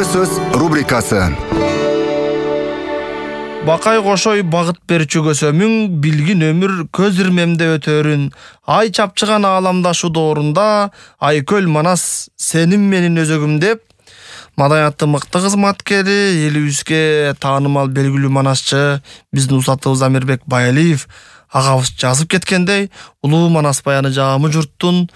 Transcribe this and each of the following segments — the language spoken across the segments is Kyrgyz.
Көөнө сөз рубрикасы. Бакай кошой багыт берчү көсөмүң, билгин өмүр көз ирмемде өтөрүн. Ай чапчыган ааламдашу доорунда, Айкөл Манас сенин менин өзөгүм деп, маданияттын мыкты кызматкери, элибизге таанымал белгилүү манасчы биздин усатыбыз Амирбек Байалиев агабыз жазып кеткендей, улуу Манас баяны жаамы журттун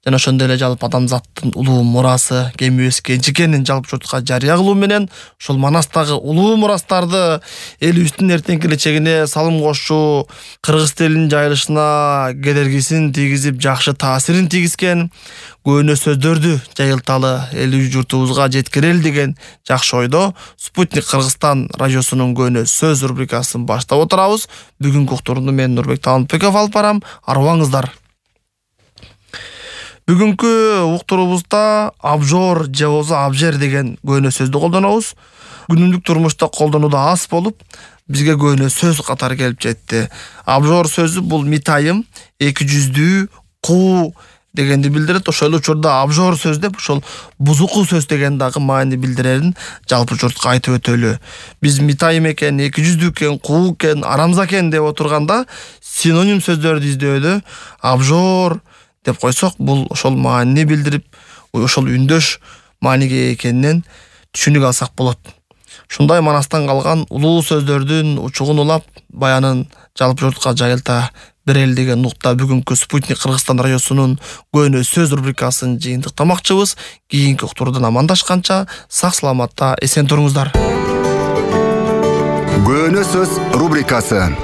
жана ошондой эле жалпы адамзаттын улуу мурасы кемибиз кенч экенин жалпы журтка жарыя кылуу менен ошол Манастагы улуу мурастарды элибиздин эртеңки келечегине салым кошуу, кыргыз тилинин жайылышына кедергисин тийгизип жакшы таасирин тийгизген көөнө сөздөрдү жайылталы элибиз журтубузга жеткирели деген жакшы ойдо Спутник Кыргызстан радиосунун көөнө сөз рубрикасын баштап отурабыз. Бүгүнкү уктурууну мен Нурбек Таалынбеков алып барам. Арыбаңыздар. Бүгүнкү уктуруубузда абжор же болбосо абжер деген көөнө сөздү колдонобуз. Күнүмдүк турмушта колдонууда аз болуп, бизге көөнө сөз катары келип жетти. Абжор сөзү бул митайым, эки жүздүү, куу дегенди билдирет. Ошол эле учурда абжор сөз деп ошол бузуку сөз деген дагы маани билдирерин жалпы журтка айтып өтөлү. Биз митайым экен, эки жүздүү экен, куу экен, арамза экен деп отурганда синоним сөздөрдү издөдө абжор деп койсок, бул ошол маанини билдирип, ошол үндөш мааниге экенинен түшүнүк алсак болот. Ушундай Манастан калган улуу сөздөрдүн учугун улап, баянын жалпы журтка жайылта берели деген нукта бүгүнкү Спутник Кыргызстан радиосунун көөнө сөз рубрикасын жыйынтыктамакчыбыз. Кийинки уктуруудан амандашканча сак саламатта эсен туруңуздар. Көөнө сөз рубрикасы.